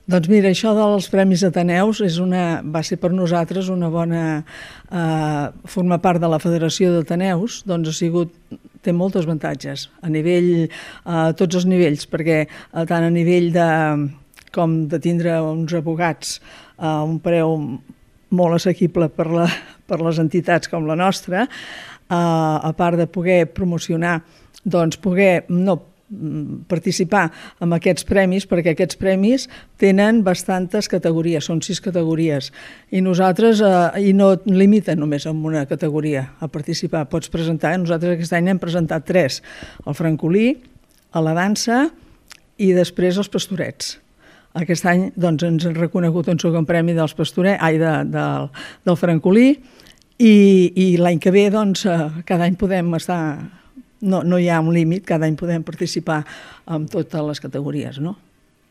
Doncs mira, això dels Premis Ateneus va ser per nosaltres una bona... formar part de la Federació d'Ateneus, doncs té molts avantatges a tots els nivells, perquè tant a nivell com de tindre uns advocats a un preu molt assequible per les entitats com la nostra, a part de poder promocionar, doncs poder participar en aquests premis, perquè aquests premis tenen bastantes categories, són 6 categories, i nosaltres no et limiten només en una categoria a participar, pots presentar, nosaltres aquest any hem presentat 3, el francolí, la dansa i després els pastorets. Aquest any doncs, ens han reconegut un segon premi del francolí, i l'any que ve doncs, cada any podem estar... No hi ha un límit, cada any podem participar en totes les categories, no?